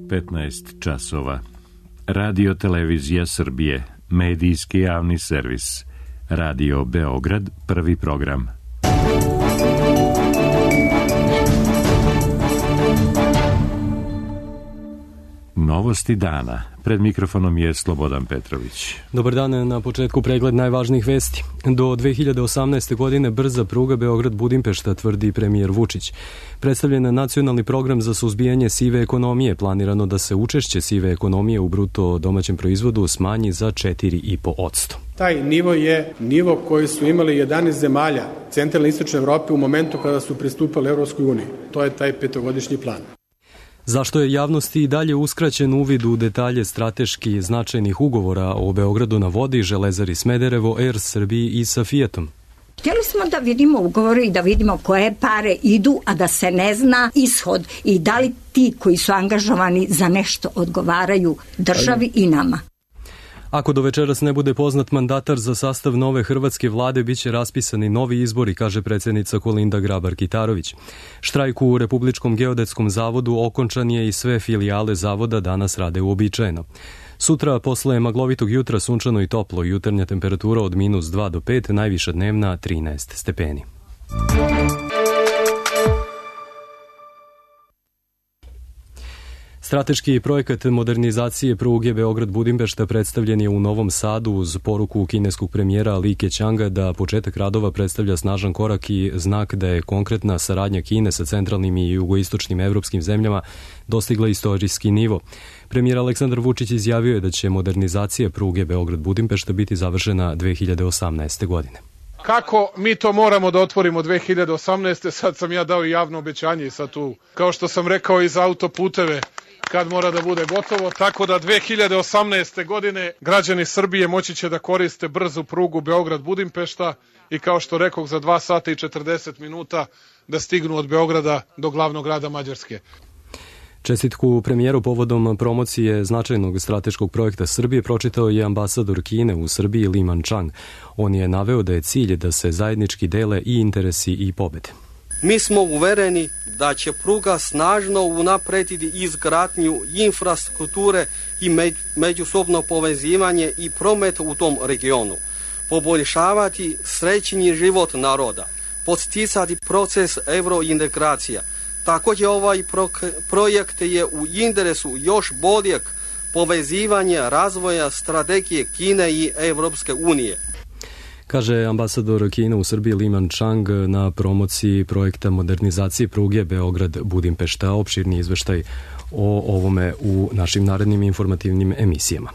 15 časova. Radio Televizija Srbije, medijski javni servis. Radio Beograd, prvi program. Novosti dana. Pred mikrofonom je Slobodan Petrović. Dobar dan, na početku pregled najvažnijih vesti. Do 2018. godine brza pruga Beograd-Budimpešta, tvrdi premijer Vučić. Predstavljen je nacionalni program za suzbijanje sive ekonomije. Planirano da se učešće sive ekonomije u bruto domaćem proizvodu smanji za 4,5%. Taj nivo je nivo koji su imali 11 zemalja centralne i istočne Evrope u momentu kada su pristupali Evropskoj uniji. To je taj petogodišnji plan. Zašto je javnosti i dalje uskraćen uvid u detalje strateški značajnih ugovora o Beogradu na vodi, Železari Smederevo, Er Srbiji i sa Fijatom? Htjeli smo da vidimo ugovore i da vidimo koje pare idu, a da se ne zna ishod i da li ti koji su angažovani za nešto odgovaraju državi i nama. Ako do večeras ne bude poznat mandatar za sastav nove hrvatske vlade, biće raspisani novi izbori, kaže predsjednica Kolinda Grabar-Kitarović. Štrajk u Republičkom geodetskom zavodu okončan je i sve filijale zavoda danas rade uobičajeno. Sutra, posle maglovitog jutra, sunčano i toplo, jutarnja temperatura od -2 do 5, najviša dnevna 13 stepeni. Strateški projekat modernizacije pruge Beograd-Budimpešta predstavljen je u Novom Sadu uz poruku kineskog premijera Li Keqianga da početak radova predstavlja snažan korak i znak da je konkretna saradnja Kine sa centralnim i jugoistočnim evropskim zemljama dostigla istorijski nivo. Premijer Aleksandar Vučić izjavio je da će modernizacija pruge Beograd-Budimpešta biti završena 2018. godine. Kako mi to moramo da otvorimo 2018. Sad sam ja dao i javno obećanje i sad tu, kao što sam rekao i za autoputeve, kad mora da bude gotovo, tako da 2018. godine građani Srbije moći će da koriste brzu prugu Beograd-Budimpešta i kao što rekoh za 2 sata i 40 minuta da stignu od Beograda do glavnog grada Mađarske. Čestitku premijeru povodom promocije značajnog strateškog projekta Srbije pročitao je ambasador Kine u Srbiji Li Manchang. On je naveo da je cilj da se zajednički dele i interesi i pobede. Mi smo uvereni da će pruga snažno unaprediti izgradnju infrastrukture i međusobno povezivanje i promet u tom regionu, poboljšavati srećni život naroda, podsticati proces eurointegracija. Također ovaj projekt je u interesu još boljeg povezivanja razvoja strategije Kine i Evropske unije. Kaže ambasador Kine u Srbiji Li Manchang na promociji projekta modernizacije pruge Beograd-Budimpešta. Opširni izveštaj o ovome u našim narednim informativnim emisijama.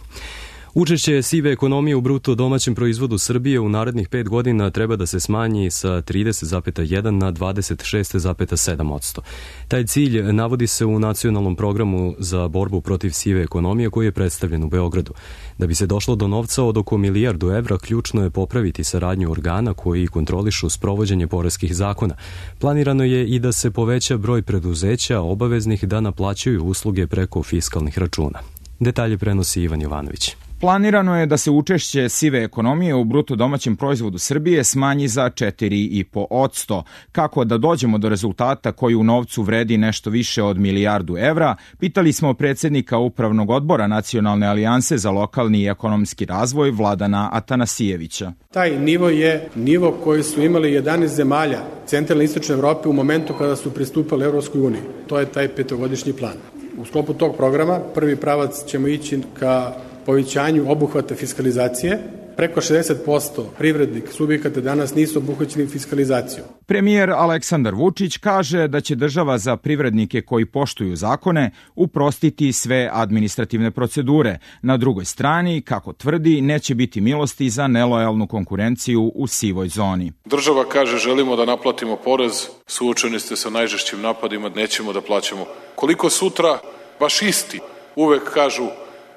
Učešće sive ekonomije u bruto domaćem proizvodu Srbije u narednih 5 godina treba da se smanji sa 30,1 na 26,7%. Taj cilj navodi se u nacionalnom programu za borbu protiv sive ekonomije koji je predstavljen u Beogradu. Da bi se došlo do novca od oko milijardu evra, ključno je popraviti saradnju organa koji kontrolišu sprovođenje poreskih zakona. Planirano je i da se poveća broj preduzeća obaveznih da naplaćuju usluge preko fiskalnih računa. Detalje prenosi Ivan Jovanović. Planirano je da se učešće sive ekonomije u bruto domaćem proizvodu Srbije smanji za 4,5%. Kako da dođemo do rezultata koji u novcu vredi nešto više od milijardu evra, pitali smo predsjednika Upravnog odbora Nacionalne alijanse za lokalni i ekonomski razvoj Vladana Atanasijevića. Taj nivo je nivo koji su imali 11 zemalja centralne i istočne Evrope u momentu kada su pristupali Evropskoj uniji. To je taj petogodišnji plan. U sklopu tog programa prvi pravac ćemo ići ka povećanju obuhvata fiskalizacije. Preko 60% privrednih subjekata danas nisu obuhvaćeni fiskalizacijom. Premijer Aleksandar Vučić kaže da će država za privrednike koji poštuju zakone uprostiti sve administrativne procedure. Na drugoj strani, kako tvrdi, neće biti milosti za nelojalnu konkurenciju u sivoj zoni. Država kaže želimo da naplatimo porez, suočeni ste sa najžešćim napadima, nećemo da plaćamo. Koliko sutra baš isti uvek kažu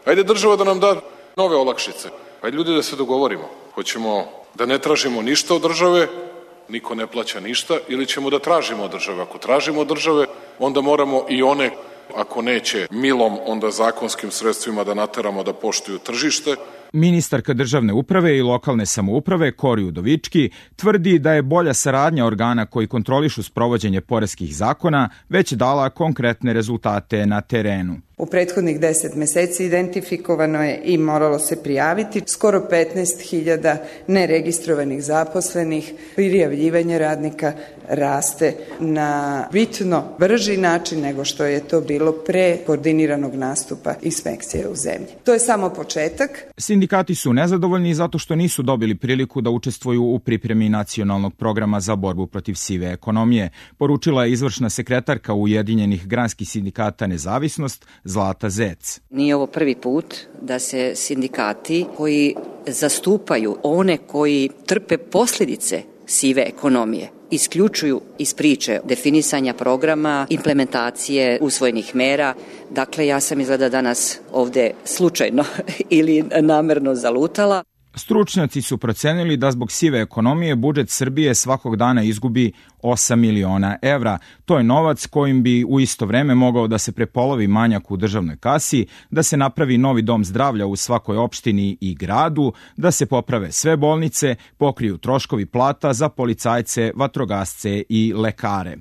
ajde država da nam da nove olakšice. Ajde ljudi da se dogovorimo. Hoćemo da ne tražimo ništa od države, niko ne plaća ništa, ili ćemo da tražimo od države. Ako tražimo od države, onda moramo i one, ako neće milom, onda zakonskim sredstvima da nateramo da poštuju tržište, Ministarka državne uprave i lokalne samouprave Kori Udovički tvrdi da je bolja saradnja organa koji kontrolišu sprovođenje poreskih zakona već dala konkretne rezultate na terenu. U prethodnih 10 meseci identifikovano je i moralo se prijaviti skoro 15.000 neregistrovanih zaposlenih. Prijavljivanje radnika raste na bitno brži način nego što je to bilo pre koordiniranog nastupa inspekcije u zemlji. To je samo početak. Sindikati su nezadovoljni zato što nisu dobili priliku da učestvuju u pripremi nacionalnog programa za borbu protiv sive ekonomije, poručila je izvršna sekretarka Ujedinjenih granskih sindikata Nezavisnost Zlata Zec. Nije ovo prvi put da se sindikati koji zastupaju one koji trpe posljedice sive ekonomije isključuju iz priče definisanja programa, implementacije usvojenih mera. Dakle, ja sam izgleda danas ovde slučajno ili namerno zalutala. Stručnjaci su procenili da zbog sive ekonomije budžet Srbije svakog dana izgubi 8 miliona evra. To je novac kojim bi u isto vreme mogao da se prepolovi manjak u državnoj kasi, da se napravi novi dom zdravlja u svakoj opštini i gradu, da se poprave sve bolnice, pokriju troškovi plata za policajce, vatrogasce i lekare.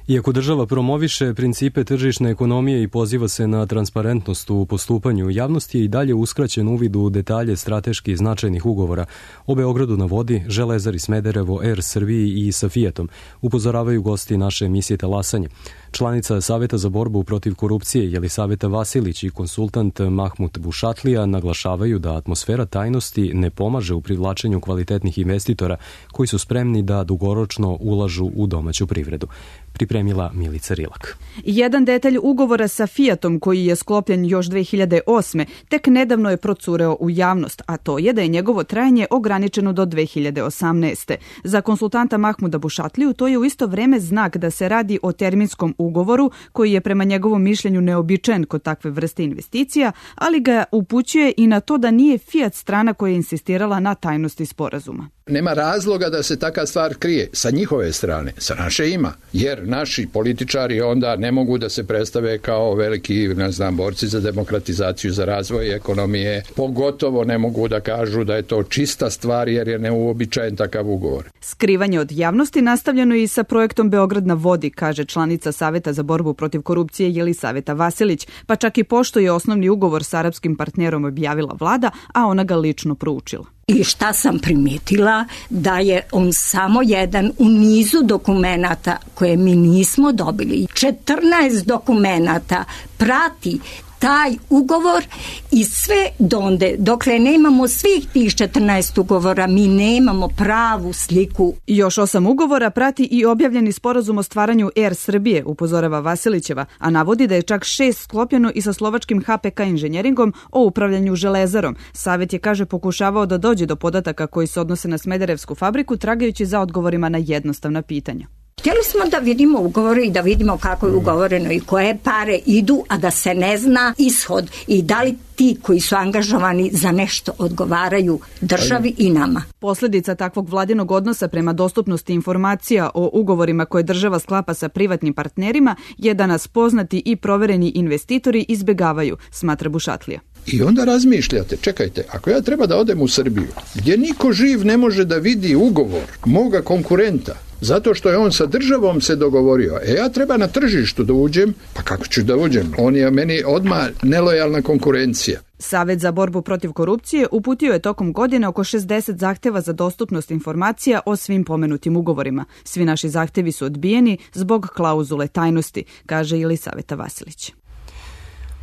Iako država promoviše principe tržišne ekonomije i poziva se na transparentnost u postupanju, javnosti je i dalje uskraćen uvid u detalje strateški značajnih ugovora o Beogradu na vodi, Železari Smederevo, Er Srbiji i sa Fijatom, upozoravaju gosti naše emisije Talasanje. Članica Saveta za borbu protiv korupcije Jelisaveta Vasilić i konsultant Mahmut Bušatlija naglašavaju da atmosfera tajnosti ne pomaže u privlačenju kvalitetnih investitora koji su spremni da dugoročno ulažu u domaću privredu. Pripremila Milica Rilak. Jedan detalj ugovora sa Fijatom koji je sklopljen još 2008. tek nedavno je procureo u javnost, a to je da je njegovo trajanje ograničeno do 2018. Za konsultanta Mahmuda Bušatliju to je u isto vreme znak da se radi o terminskom ugovoru koji je prema njegovom mišljenju neobičajen kod takve vrste investicija, ali ga upućuje i na to da nije Fijat strana koja je insistirala na tajnosti sporazuma. Nema razloga da se taka stvar krije sa njihove strane, sa naše ima, jer naši političari onda ne mogu da se predstave kao veliki, borci za demokratizaciju, za razvoj ekonomije, pogotovo ne mogu da kažu da je to čista stvar jer je neuobičajen takav ugovor. Skrivanje od javnosti nastavljeno i sa projektom Beograd na vodi, kaže članica Saveta za borbu protiv korupcije Jelisaveta Vasilić, pa čak i pošto je osnovni ugovor s arapskim partnerom objavila vlada, a ona ga lično proučila. I šta sam primijetila? Da je on samo jedan u nizu dokumenata koje mi nismo dobili. 14 dokumenata prati taj ugovor i sve donde, dokle nemamo svih tih 14 ugovora, mi nemamo pravu sliku. Još 8 ugovora prati i objavljeni sporazum o stvaranju Er Srbije, upozorava Vasilićeva, a navodi da je čak 6 sklopljeno i sa slovačkim HPK inženjeringom o upravljanju železarom. Savet je, kaže, pokušavao da dođe do podataka koji se odnose na Smederevsku fabriku, tragajući za odgovorima na jednostavna pitanja. Htjeli smo da vidimo ugovore i da vidimo kako je ugovoreno i koje pare idu, a da se ne zna ishod i da li ti koji su angažovani za nešto odgovaraju državi i nama. Posljedica takvog vladinog odnosa prema dostupnosti informacija o ugovorima koje država sklapa sa privatnim partnerima je da nas poznati i provereni investitori izbjegavaju, smatra Bušatlija. I onda razmišljate, čekajte, ako ja treba da odem u Srbiju, gdje niko živ ne može da vidi ugovor moga konkurenta, zato što je on sa državom se dogovorio, ja treba na tržištu da uđem, pa kako ću da uđem? On je meni odmah nelojalna konkurencija. Savet za borbu protiv korupcije uputio je tokom godine oko 60 zahteva za dostupnost informacija o svim pomenutim ugovorima. Svi naši zahtevi su odbijeni zbog klauzule tajnosti, kaže Jelisaveta Vasilić.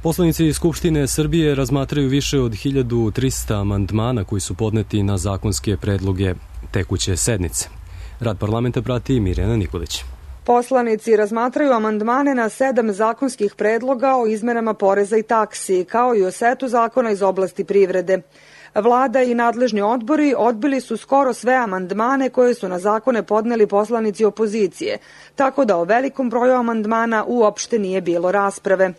Poslanici Skupštine Srbije razmatraju više od 1300 amandmana koji su podneti na zakonske predloge tekuće sednice. Rad parlamenta prati Mirjana Nikolić. Poslanici razmatraju amandmane na 7 zakonskih predloga o izmenama poreza i taksi, kao i o setu zakona iz oblasti privrede. Vlada i nadležni odbori odbili su skoro sve amandmane koje su na zakone podneli poslanici opozicije, tako da o velikom broju amandmana uopšte nije bilo rasprave.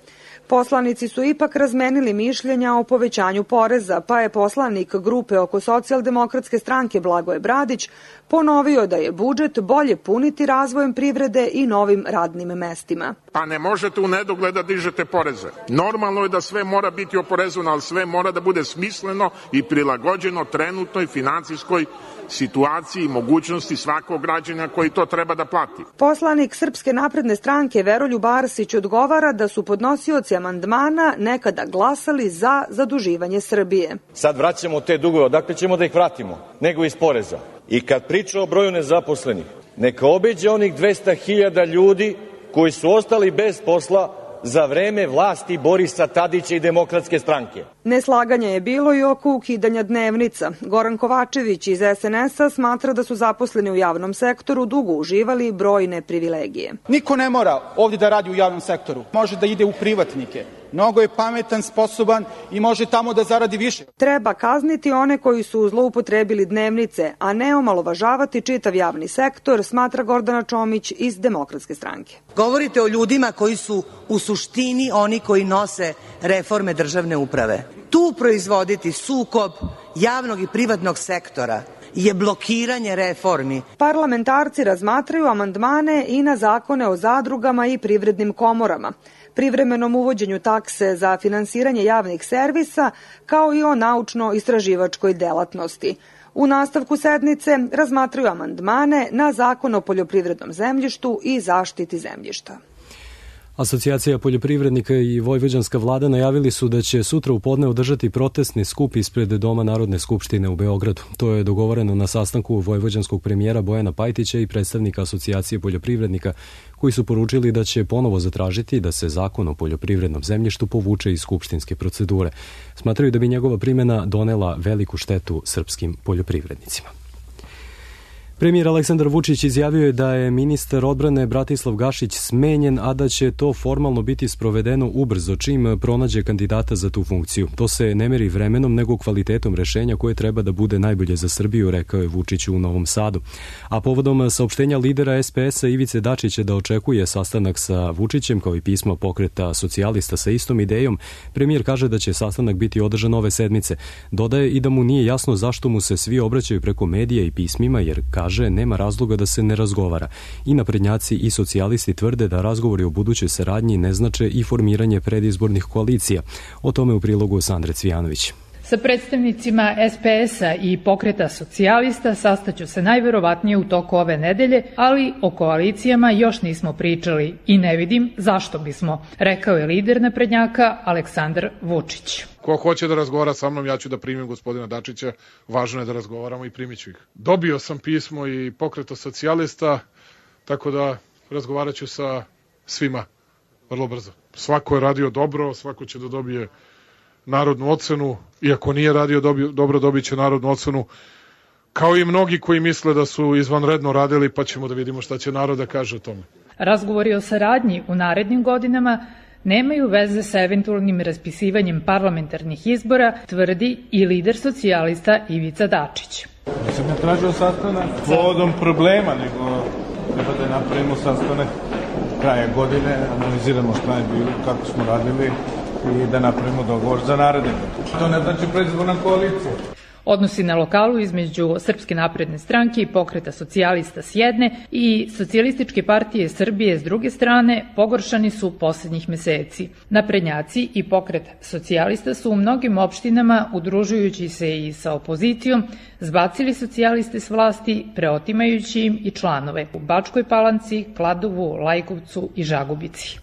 Poslanici su ipak razmenili mišljenja o povećanju poreza, pa je poslanik grupe oko Socijaldemokratske stranke Blagoje Bradić Ponovio da je budžet bolje puniti razvojem privrede i novim radnim mestima. Pa ne možete u nedogled da dižete poreze. Normalno je da sve mora biti oporezovano, ali sve mora da bude smisleno i prilagođeno trenutnoj financijskoj situaciji i mogućnosti svakog građana koji to treba da plati. Poslanik Srpske napredne stranke Veroljub Arsić odgovara da su podnosioci amandmana nekada glasali za zaduživanje Srbije. Sad vraćamo te dugove, odakle ćemo da ih vratimo? Nego iz poreza. I kad priča o broju nezaposlenih, neka obiđe onih 200.000 ljudi koji su ostali bez posla za vreme vlasti Borisa Tadića i Demokratske stranke. Neslaganje je bilo i oko ukidanja dnevnica. Goran Kovačević iz SNS-a smatra da su zaposleni u javnom sektoru dugo uživali brojne privilegije. Niko ne mora ovdje da radi u javnom sektoru. Može da ide u privatnike. Mnogo je pametan, sposoban i može tamo da zaradi više. Treba kazniti one koji su zloupotrebili dnevnice, a ne omalovažavati čitav javni sektor, smatra Gordana Čomić iz Demokratske stranke. Govorite o ljudima koji su u suštini oni koji nose reforme državne uprave. Tu proizvoditi sukob javnog i privatnog sektora je blokiranje reformi. Parlamentarci razmatraju amandmane i na zakone o zadrugama i privrednim komorama, privremenom uvođenju takse za finansiranje javnih servisa, kao i o naučno-istraživačkoj delatnosti. U nastavku sednice razmatraju amandmane na Zakon o poljoprivrednom zemljištu i zaštiti zemljišta. Asocijacija poljoprivrednika i vojvođanska vlada najavili su da će sutra u podne održati protestni skup ispred Doma Narodne skupštine u Beogradu. To je dogovoreno na sastanku vojvođanskog premijera Bojana Pajtića i predstavnika Asocijacije poljoprivrednika, koji su poručili da će ponovo zatražiti da se Zakon o poljoprivrednom zemljištu povuče iz skupštinske procedure. Smatraju da bi njegova primjena donela veliku štetu srpskim poljoprivrednicima. Premijer Aleksandar Vučić izjavio je da je ministar odbrane Bratislav Gašić smenjen, a da će to formalno biti sprovedeno ubrzo čim pronađe kandidata za tu funkciju. To se ne meri vremenom nego kvalitetom rešenja koje treba da bude najbolje za Srbiju, rekao je Vučić u Novom Sadu. A povodom saopštenja lidera SPS-a Ivice Dačića da očekuje sastanak sa Vučićem kao i pismo Pokreta socijalista sa istom idejom, premijer kaže da će sastanak biti održan ove sedmice. Dodaje i da mu nije jasno zašto mu se svi obraćaju preko medija i pismima, jer kaže nema razloga da se ne razgovara. I naprednjaci i socijalisti tvrde da razgovori o budućoj saradnji ne znače i formiranje predizbornih koalicija. O tome u prilogu Sandre Cvijanović. Sa predstavnicima SPS-a i Pokreta socijalista sastaću se najverovatnije u toku ove nedelje, ali o koalicijama još nismo pričali i ne vidim zašto bismo, rekao je lider naprednjaka Aleksandar Vučić. Ko hoće da razgovara sa mnom, ja ću da primim gospodina Dačića, važno je da razgovaramo i primit ću ih. Dobio sam pismo i Pokreta socijalista, tako da razgovarat ću sa svima vrlo brzo. Svako je radio dobro, svako će da dobije narodnu ocenu, iako nije radio dobro, dobit će narodnu ocenu, kao i mnogi koji misle da su izvanredno radili, pa ćemo da vidimo šta će narod da kaže o tome. Razgovori o saradnji u narednim godinama nemaju veze sa eventualnim raspisivanjem parlamentarnih izbora, tvrdi i lider socijalista Ivica Dačić. Nisam ne tražio sastanak povodom problema, nego treba da napravimo sastanak kraja godine, analiziramo šta je bilo, kako smo radili i da napravimo dogovor za naredne. To ne znači predizborna koalicija. Odnosi na lokalu između Srpske napredne stranke i Pokreta socijalista s jedne i Socijalističke partije Srbije s druge strane pogoršani su poslednjih meseci. Naprednjaci i Pokret socijalista su u mnogim opštinama, udružujući se i sa opozicijom, zbacili socijaliste s vlasti, preotimajući im i članove u Bačkoj Palanci, Kladovu, Lajkovcu i Žagubici.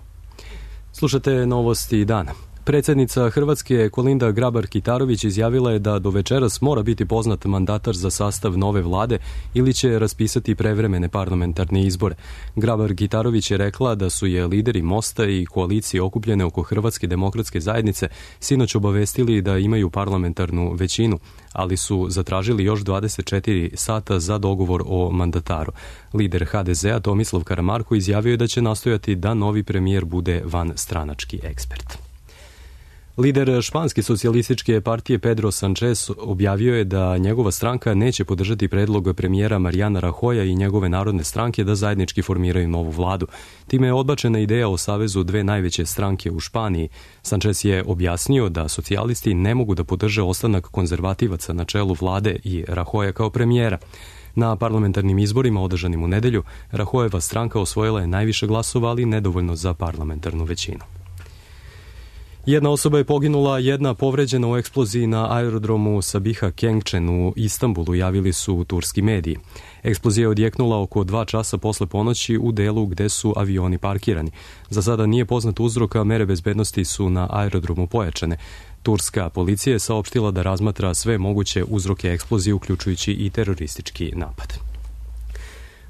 Slušate novosti dana. Predsjednica Hrvatske Kolinda Grabar-Kitarović izjavila je da do večeras mora biti poznat mandatar za sastav nove vlade ili će raspisati prevremene parlamentarne izbore. Grabar-Kitarović je rekla da su je lideri Mosta i koalicije okupljene oko Hrvatske demokratske zajednice sinoć obavestili da imaju parlamentarnu većinu, ali su zatražili još 24 sata za dogovor o mandataru. Lider HDZ-a Tomislav Karamarko izjavio je da će nastojati da novi premijer bude vanstranački ekspert. Lider španske socijalističke partije Pedro Sanchez objavio je da njegova stranka neće podržati predlog premijera Mariana Rajoya i njegove narodne stranke da zajednički formiraju novu vladu. Time je odbačena ideja o savezu dve najveće stranke u Španiji. Sanchez je objasnio da socijalisti ne mogu da podrže ostanak konzervativaca na čelu vlade i Rajoya kao premijera. Na parlamentarnim izborima održanim u nedelju, Rahojeva stranka osvojila je najviše glasova, ali nedovoljno za parlamentarnu većinu. Jedna osoba je poginula, jedna povređena u eksploziji na aerodromu Sabiha Kengchen u Istanbulu, javili su turski mediji. Eksplozija je odjeknula oko 2 časa posle ponoći u delu gde su avioni parkirani. Za sada nije poznat uzrok, a mere bezbednosti su na aerodromu pojačane. Turska policija je saopštila da razmatra sve moguće uzroke eksplozije, uključujući i teroristički napad.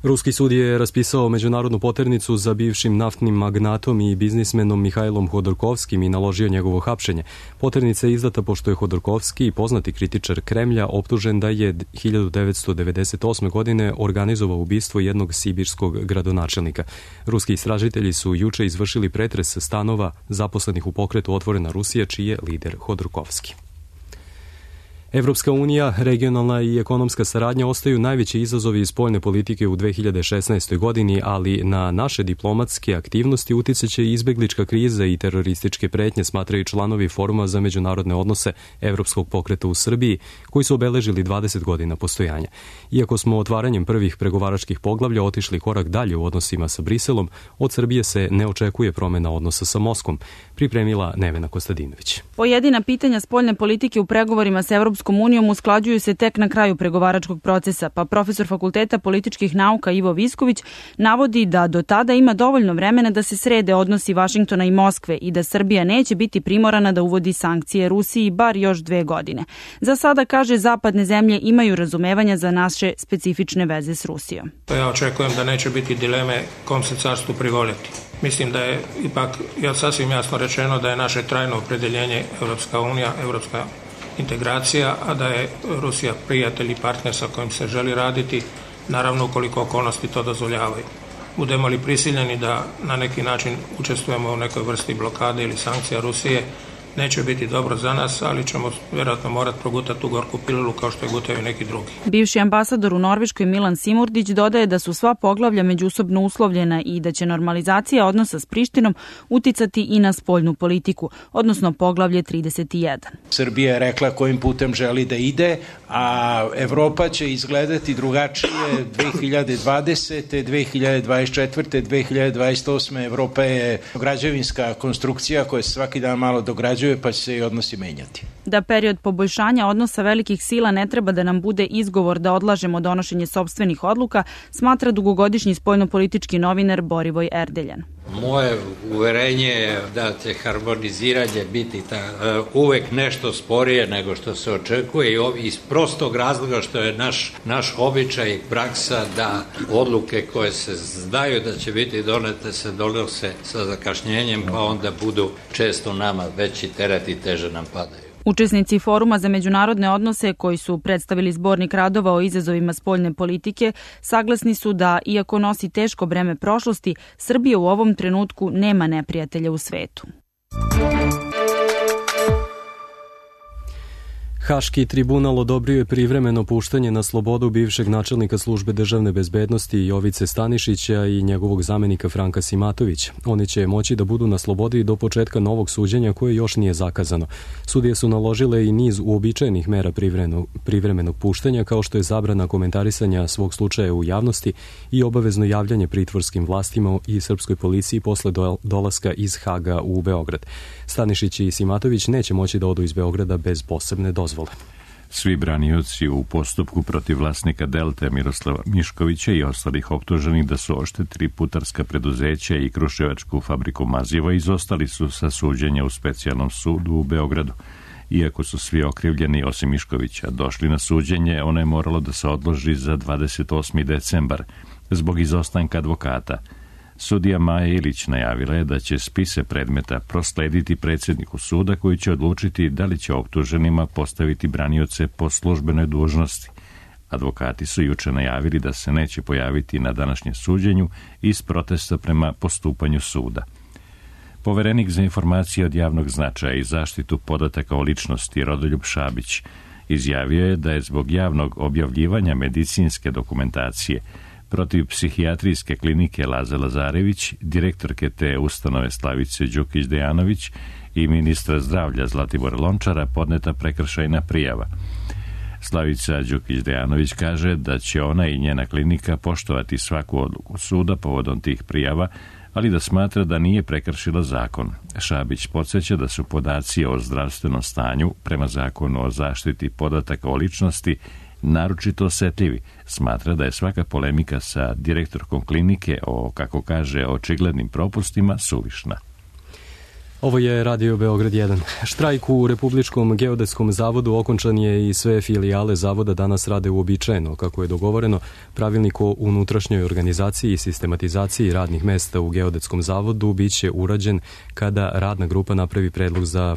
Ruski sud je raspisao međunarodnu poternicu za bivšim naftnim magnatom i biznismenom Mihajlom Hodorkovskim i naložio njegovo hapšenje. Poternica je izdata pošto je Hodorkovski, poznati kritičar Kremlja, optužen da je 1998. godine organizovao ubistvo jednog sibirskog gradonačelnika. Ruski istražitelji su juče izvršili pretres stanova zaposlenih u pokretu Otvorena Rusija, čiji je lider Hodorkovski. Evropska unija, regionalna i ekonomska saradnja ostaju najveći izazovi iz spoljne politike u 2016. godini, ali na naše diplomatske aktivnosti uticaće i izbeglička kriza i terorističke pretnje, smatraju članovi Foruma za međunarodne odnose Evropskog pokreta u Srbiji, koji su obeležili 20 godina postojanja. Iako smo otvaranjem prvih pregovaračkih poglavlja otišli korak dalje u odnosima sa Briselom, od Srbije se ne očekuje promena odnosa sa Moskvom, pripremila Nevena Kostadinović. Pojedina pitanja spoljne politike u pregovorima sa Evropskom unijom usklađuju se tek na kraju pregovaračkog procesa, pa profesor Fakulteta političkih nauka Ivo Visković navodi da do tada ima dovoljno vremena da se srede odnosi Vašingtona i Moskve i da Srbija neće biti primorana da uvodi sankcije Rusiji bar još 2 godine. Za sada, kaže, zapadne zemlje imaju razumevanja za naše specifične veze s Rusijom. Ja očekujem da neće biti dileme kom se carstvu privoljeti. Mislim da je ipak sasvim jasno rečeno da je naše trajno opredeljenje Evropska unija, evropska integracija, a da je Rusija prijatelj i partner sa kojim se želi raditi, naravno ukoliko okolnosti to dozvoljavaju. Budemo li prisiljeni da na neki način učestvujemo u nekoj vrsti blokade ili sankcija Rusije, neće biti dobro za nas, ali ćemo vjerojatno morati progutati tu gorku pilulu kao što je gutaju neki drugi. Bivši ambasador u Norveškoj Milan Simurdić dodaje da su sva poglavlja međusobno uslovljena i da će normalizacija odnosa s Prištinom uticati i na spoljnu politiku, odnosno poglavlje 31. Srbija je rekla kojim putem želi da ide, a Evropa će izgledati drugačije 2020. 2024. 2028. Evropa je građevinska konstrukcija koja se svaki dan malo dograđuje, pa će se i odnosi menjati. Da period poboljšanja odnosa velikih sila ne treba da nam bude izgovor da odlažemo donošenje sopstvenih odluka, smatra dugogodišnji spoljnopolitički novinar Borivoj Erdeljan. Moje uverenje je da će harmoniziranje biti uvek nešto sporije nego što se očekuje i iz prostog razloga što je naš običaj i praksa da odluke koje se znaju da će biti donete se donose sa zakašnjenjem, pa onda budu često nama veći teret i teže nam padaju. Učesnici Foruma za međunarodne odnose, koji su predstavili zbornik radova o izazovima spoljne politike, saglasni su da, iako nosi teško breme prošlosti, Srbija u ovom trenutku nema neprijatelja u svetu. Haški tribunal odobrio je privremeno puštanje na slobodu bivšeg načelnika službe državne bezbednosti Jovice Stanišića i njegovog zamenika Franka Simatovića. Oni će moći da budu na slobodi do početka novog suđenja koje još nije zakazano. Sudije su naložile i niz uobičajenih mera privremenog puštanja, kao što je zabrana komentarisanja svog slučaja u javnosti i obavezno javljanje pritvorskim vlastima i srpskoj policiji posle dolaska iz Haga u Beograd. Stanišić i Simatović neće moći da odu iz Beograda bez posebne dozvole. Svi branioci u postupku protiv vlasnika Delte Miroslava Miškovića i ostalih optuženih da su oštetili putarska preduzeća i kruševačku fabriku maziva izostali su sa suđenja u specijalnom sudu u Beogradu. Iako su svi okrivljeni osim Miškovića došli na suđenje, ono je moralo da se odloži za 28. decembar zbog izostanka advokata. Sudija Maja Ilić najavila je da će spise predmeta proslediti predsjedniku suda, koji će odlučiti da li će optuženima postaviti branioce po službenoj dužnosti. Advokati su juče najavili da se neće pojaviti na današnjem suđenju iz protesta prema postupanju suda. Poverenik za informacije od javnog značaja i zaštitu podataka o ličnosti Rodoljub Šabić izjavio je da je zbog javnog objavljivanja medicinske dokumentacije protiv psihijatrijske klinike Laze Lazarević, direktorke te ustanove Slavice Đukić-Dejanović i ministra zdravlja Zlatibora Lončara podneta prekršajna prijava. Slavica Đukić-Dejanović kaže da će ona i njena klinika poštovati svaku odluku suda povodom tih prijava, ali da smatra da nije prekršila zakon. Šabić podsjeća da su podaci o zdravstvenom stanju prema zakonu o zaštiti podataka o ličnosti naročito osetljivi. Smatra da je svaka polemika sa direktorkom klinike o, kako kaže, očiglednim propustima suvišna. Ovo je Radio Beograd 1. Štrajk u Republičkom geodetskom zavodu okončan je i sve filijale zavoda danas rade uobičajeno. Kako je dogovoreno, pravilnik o unutrašnjoj organizaciji i sistematizaciji radnih mesta u geodetskom zavodu biće urađen kada radna grupa napravi predlog za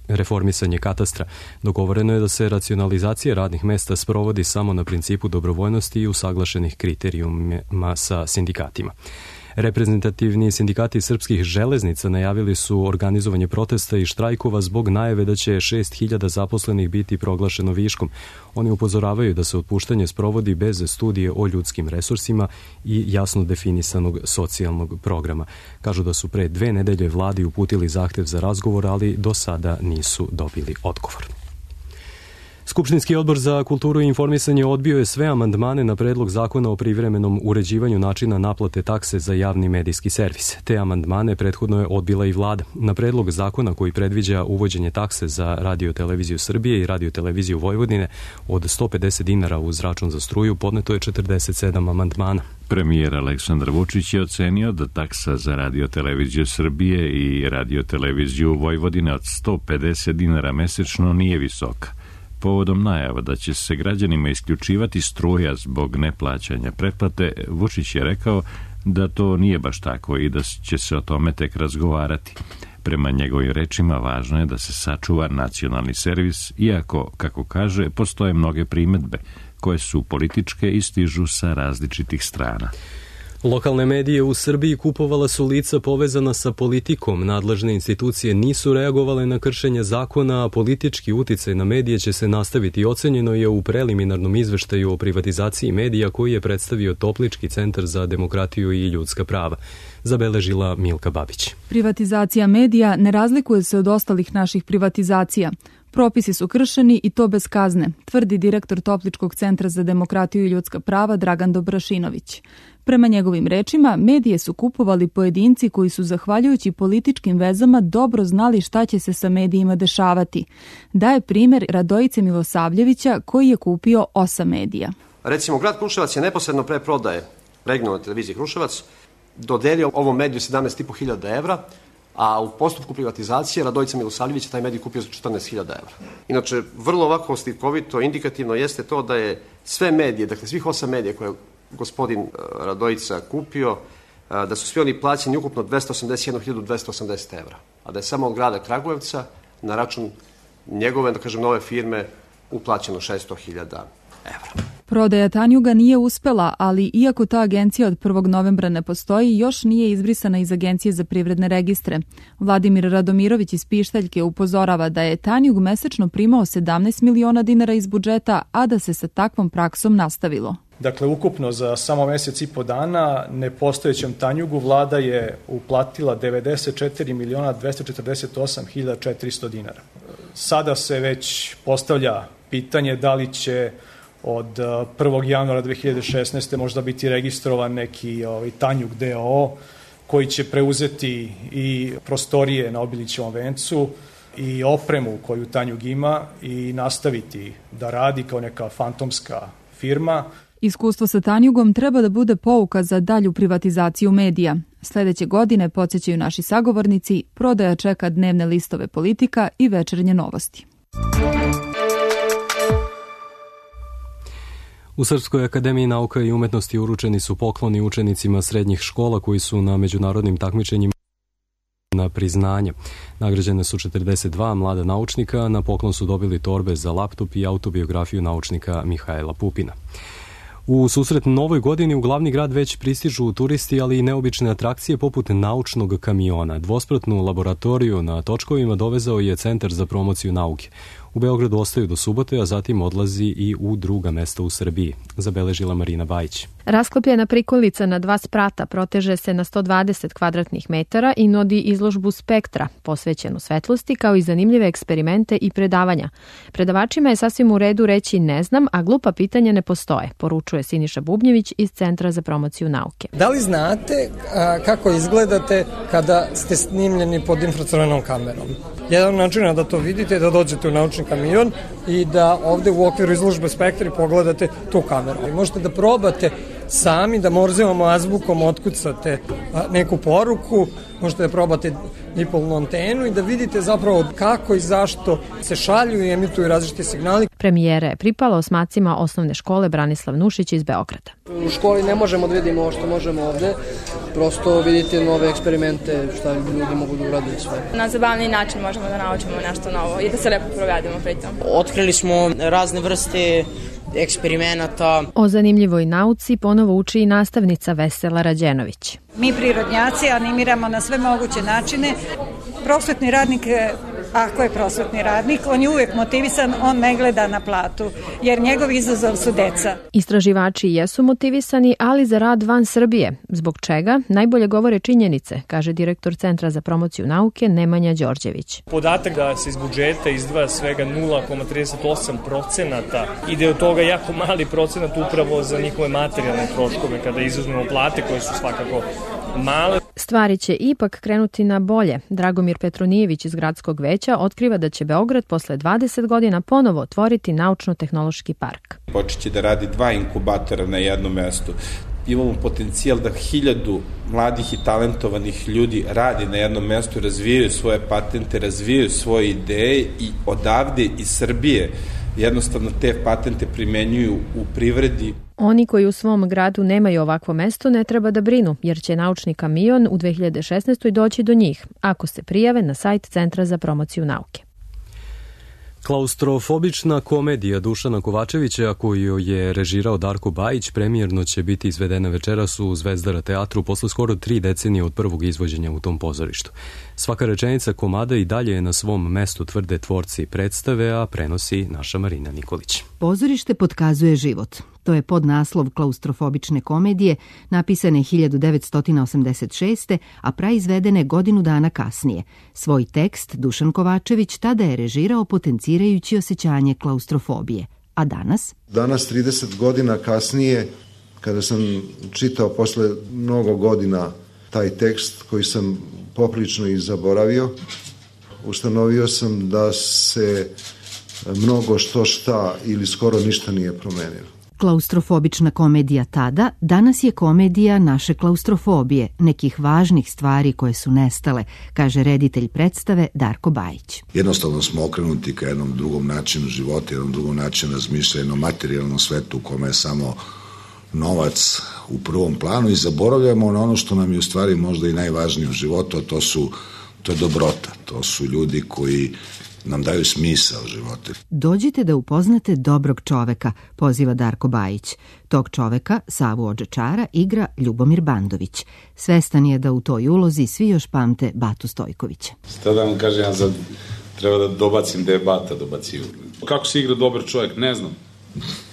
reformisanje katastra. Dogovoreno je da se racionalizacija radnih mesta sprovodi samo na principu dobrovoljnosti i usaglašenih kriterijuma sa sindikatima. Reprezentativni sindikati srpskih železnica najavili su organizovanje protesta i štrajkova zbog najave da će 6.000 zaposlenih biti proglašeno viškom. Oni upozoravaju da se otpuštanje sprovodi bez studije o ljudskim resursima i jasno definisanog socijalnog programa. Kažu da su pre 2 nedelje vladi uputili zahtev za razgovor, ali do sada nisu dobili odgovor. Skupštinski odbor za kulturu i informisanje odbio je sve amandmane na predlog zakona o privremenom uređivanju načina naplate takse za javni medijski servis. Te amandmane prethodno je odbila i vlada. Na predlog zakona koji predviđa uvođenje takse za Radio-televiziju Srbije i Radio-televiziju Vojvodine od 150 dinara uz račun za struju podneto je 47 amandmana. Premijer Aleksandar Vučić je ocenio da taksa za Radio-televiziju Srbije i Radio-televiziju Vojvodine od 150 dinara mesečno nije visoka. Povodom najava da će se građanima isključivati struja zbog neplaćanja pretplate, Vučić je rekao da to nije baš tako i da će se o tome tek razgovarati. Prema njegovim rečima, važno je da se sačuva nacionalni servis, iako, kako kaže, postoje mnoge primedbe koje su političke i stižu sa različitih strana. Lokalne medije u Srbiji kupovala su lica povezana sa politikom. Nadležne institucije nisu reagovale na kršenje zakona, a politički uticaj na medije će se nastaviti. Ocenjeno je u preliminarnom izveštaju o privatizaciji medija koji je predstavio Toplički centar za demokratiju i ljudska prava. Zabeležila Milka Babić. Privatizacija medija ne razlikuje se od ostalih naših privatizacija. Propisi su kršeni i to bez kazne, tvrdi direktor Topličkog centra za demokratiju i ljudska prava Dragan Dobrašinović. Prema njegovim rečima, medije su kupovali pojedinci koji su, zahvaljujući političkim vezama, dobro znali šta će se sa medijima dešavati. Daje primjer Radojice Milosavljevića koji je kupio 8 medija. Recimo, grad Kruševac je neposredno pre prodaje regionalne televizije Kruševac dodelio ovom mediju 17.500 evra, a u postupku privatizacije Radojica Milosavljević je taj medij kupio za 14.000 evra. Inače, vrlo ovako slikovito, indikativno jeste to da je sve medije, dakle svih 8 medija koje gospodin Radojica kupio, da su svi oni plaćeni ukupno 281.280 evra, a da je samo od grada Kragujevca na račun njegove, da kažem, nove firme uplaćeno 600.000 evra. Prodaja Tanjuga nije uspela, ali iako ta agencija od 1. novembra ne postoji, još nije izbrisana iz Agencije za privredne registre. Vladimir Radomirović iz Pištaljke upozorava da je Tanjug mesečno primao 17 miliona dinara iz budžeta, a da se sa takvom praksom nastavilo. Dakle, ukupno za samo mesec i po dana nepostojećem Tanjugu vlada je uplatila 94.248.400 dinara. Sada se već postavlja pitanje da li će od 1. januara 2016. možda biti registrovan neki Tanjug DOO koji će preuzeti i prostorije na Obilićevom vencu i opremu koju Tanjug ima i nastaviti da radi kao neka fantomska firma. Iskustvo sa Tanjugom treba da bude pouka za dalju privatizaciju medija. Sledeće godine, podsjećaju naši sagovornici, prodaja čeka dnevne listove Politika i Večernje novosti. U Srpskoj akademiji nauka i umetnosti uručeni su pokloni učenicima srednjih škola koji su na međunarodnim takmičenjima na priznanje. Nagrađene su 42 mlada naučnika, na poklon su dobili torbe za laptop i autobiografiju naučnika Mihajla Pupina. U susret novoj godini u glavni grad već pristižu turisti, ali i neobične atrakcije poput naučnog kamiona. Dvospratnu laboratoriju na točkovima dovezao je Centar za promociju nauke. U Beogradu ostaju do subote, a zatim odlazi i u druga mesta u Srbiji, zabeležila Marina Bajić. Rasklopljena prikolica na 2 sprata proteže se na 120 kvadratnih metara i nudi izložbu spektra, posvećenu svetlosti, kao i zanimljive eksperimente i predavanja. Predavačima je sasvim u redu reći ne znam, a glupa pitanja ne postoje, poručuje Siniša Bubnjević iz Centra za promociju nauke. Da li znate kako izgledate kada ste snimljeni pod infracrvenom kamerom? Jedan način da to vidite je da dođete u naučni kamion i da ovde u okviru izložbe Spektra pogledate tu kameru. I možete da probate sami da Morzevom azbukom otkucate neku poruku, možete da probate dipolnu antenu i da vidite zapravo kako i zašto se šalju i emituju različiti signali. Premijera je pripala osmacima osnovne škole Branislav Nušić iz Beograda. U školi ne možemo da vidimo ovo što možemo ovde, prosto vidite nove eksperimente, šta ljudi mogu da urade i sve. Na zabavni način možemo da naučimo nešto novo i da se lepo provedemo pritom. Otkrili smo razne vrste eksperimenata. O zanimljivoj nauci ponovo uči i nastavnica Vesela Rađenović. Mi prirodnjaci animiramo na sve moguće načine. Prosvetni radnik, ako je prosvetni radnik, on je uvijek motivisan, on ne gleda na platu, jer njegov izazov su deca. Istraživači jesu motivisani, ali za rad van Srbije. Zbog čega? Najbolje govore činjenice, kaže direktor Centra za promociju nauke Nemanja Đorđević. Podatak da se iz budžeta izdvaja svega 0,38% ide od toga jako mali procenat upravo za njihove materijalne troškove, kada izuzmemo plate koje su svakako male. Stvari će ipak krenuti na bolje. Dragomir Petronijević iz Gradskog veća otkriva da će Beograd posle 20 godina ponovo otvoriti naučno-tehnološki park. Počeće da radi 2 inkubatora na jednom mestu. Imamo potencijal da 1000 mladih i talentovanih ljudi radi na jednom mestu, razvijaju svoje patente, razvijaju svoje ideje i odavde iz Srbije jednostavno te patente primenjuju u privredi. Oni koji u svom gradu nemaju ovakvo mesto ne treba da brinu, jer će naučni kamion u 2016. doći do njih, ako se prijave na sajt Centra za promociju nauke. Klaustrofobična komedija Dušana Kovačevića, koju je režirao Darko Bajić, premijerno će biti izvedena večeras u Zvezdara teatru posle skoro 3 decenije od prvog izvođenja u tom pozorištu. Svaka rečenica komada i dalje je na svom mestu, tvrde tvorci predstave, a prenosi naša Marina Nikolić. Pozorište potkazuje život. To je podnaslov klaustrofobične komedije, napisane 1986. a praizvedene godinu dana kasnije. Svoj tekst Dušan Kovačević tada je režirao potencirajući osjećanje klaustrofobije. A danas? Danas, 30 godina kasnije, kada sam čitao posle mnogo godina taj tekst koji sam poprilično i zaboravio, ustanovio sam da se mnogo šta ili skoro ništa nije promenilo. Klaustrofobična komedija tada, danas je komedija naše klaustrofobije, nekih važnih stvari koje su nestale, kaže reditelj predstave Darko Bajić. Jednostavno smo okrenuti ka jednom drugom načinu života, jednom drugom načinu razmišljanja, jednom materijalnom svetu u kome je samo novac u prvom planu i zaboravljamo na ono što nam je u stvari možda i najvažnije u životu, a to je dobrota, to su ljudi koji nam daju smisao života. Dođite da upoznate dobrog čoveka, poziva Darko Bajić. Tog čoveka, Savu Odžečara, igra Ljubomir Bandović. Svestan je da u toj ulozi svi još pamte Batu Stojkovića. Šta da vam kažem, ja sad treba da dobacim da je Bata dobacio. Kako se igra dobar čovjek, ne znam.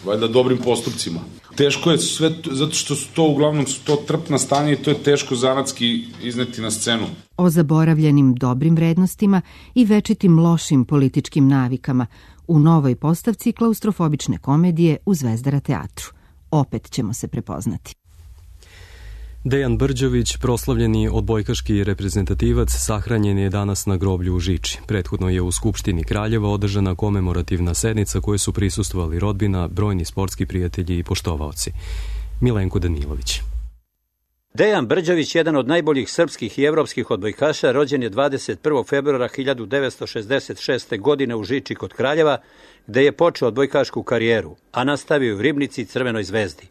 Valjda dobrim postupcima. Teško je sve, zato što su to uglavnom trpna stanja i to je teško zanatski izneti na scenu. O zaboravljenim dobrim vrednostima i večitim lošim političkim navikama u novoj postavci klaustrofobične komedije u Zvezdara teatru. Opet ćemo se prepoznati. Dejan Brđović, proslavljeni odbojkaški reprezentativac, sahranjen je danas na groblju u Žiči. Prethodno je u Skupštini Kraljeva održana komemorativna sednica koje su prisustvovali rodbina, brojni sportski prijatelji i poštovaoci. Milenko Danilović. Dejan Brđović, jedan od najboljih srpskih i evropskih odbojkaša, rođen je 21. februara 1966. godine u Žiči kod Kraljeva, gde je počeo odbojkašku karijeru, a nastavio u Ribnici i Crvenoj zvezdi.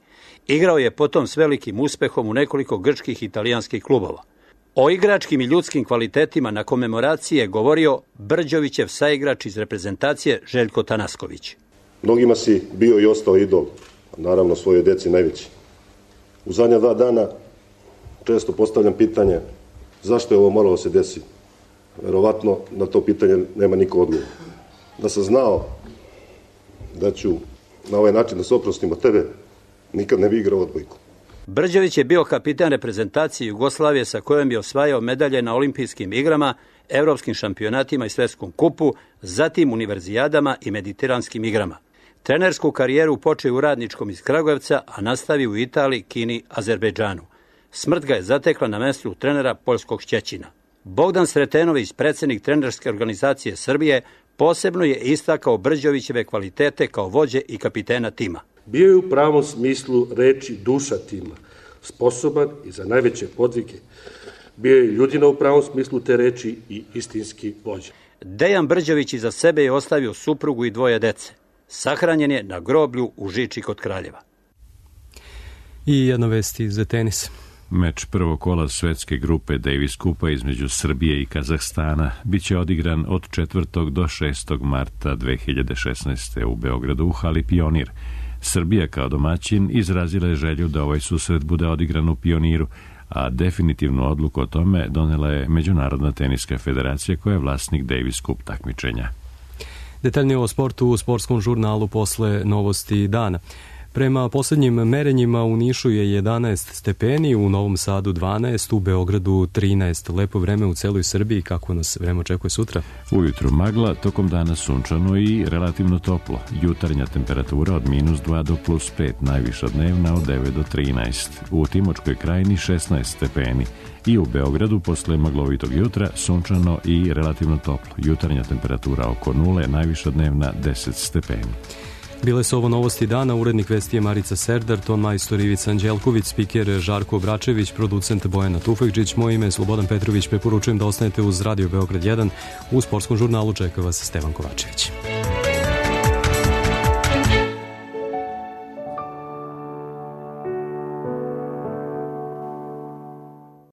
Igrao je potom s velikim uspehom u nekoliko grčkih i italijanskih klubova. O igračkim i ljudskim kvalitetima na komemoraciji je govorio Brđovićev saigrač iz reprezentacije Željko Tanasković. Mnogima si bio i ostao idol, naravno svojoj deci najveći. U zadnja 2 dana često postavljam pitanje zašto je ovo moralo se desiti. Verovatno na to pitanje nema niko odgovor. Da sam znao da ću na ovaj način da se oprostim od tebe, nikad ne bi igrao odbojku. Brđević je bio kapitan reprezentacije Jugoslavije sa kojom je osvajao medalje na olimpijskim igrama, evropskim šampionatima i svetskom kupu, zatim univerzijadama i mediteranskim igrama. Trenersku karijeru počeo u Radničkom iz Kragujevca, a nastavio u Italiji, Kini, Azerbejdžanu. Smrt ga je zatekla na mestu trenera poljskog Šćećina. Bogdan Sretenović, predsjednik trenerske organizacije Srbije, posebno je istakao Brđevićeve kvalitete kao vođe i kapitena tima. Bio je u pravom smislu reči duša tima, sposoban i za najveće podvige. Bio je ljudina u pravom smislu te reči i istinski vođa. Dejan Brđević iza sebe je ostavio suprugu i 2 dece. Sahranjen je na groblju u Žiči kod Kraljeva. I jedna vest iz tenis. Meč prvog kola svetske grupe Davis Kupa između Srbije i Kazahstana biće odigran od 4. do 6. marta 2016. u Beogradu u hali Pionir. Srbija kao domaćin izrazila je želju da ovaj susret bude odigran u Pioniru, a definitivnu odluku o tome donela je Međunarodna teniska federacija koja je vlasnik Davis Cup takmičenja. Detaljnije o sportu u sportskom žurnalu posle novosti dana. Prema posljednjim merenjima u Nišu je 11 stepeni, u Novom Sadu 12, u Beogradu 13. Lepo vreme u celoj Srbiji, kako nas vreme očekuje sutra? Ujutru magla, tokom dana sunčano i relativno toplo. Jutarnja temperatura od -2 do +5, najviša dnevna od 9 do 13. U Timočkoj krajini 16 stepeni. I u Beogradu posle maglovitog jutra sunčano i relativno toplo. Jutarnja temperatura oko 0, najviša dnevna 10 stepeni. Bile su ovo novosti dana, urednik vesti je Marica Serdar, ton majstor Ivica Anđelković, spiker Žarko Bračević, producent Bojana Tufekđić, moje ime je Slobodan Petrović, preporučujem da ostanete uz Radio Beograd 1, u sportskom žurnalu čeka vas Stevan Kovačević.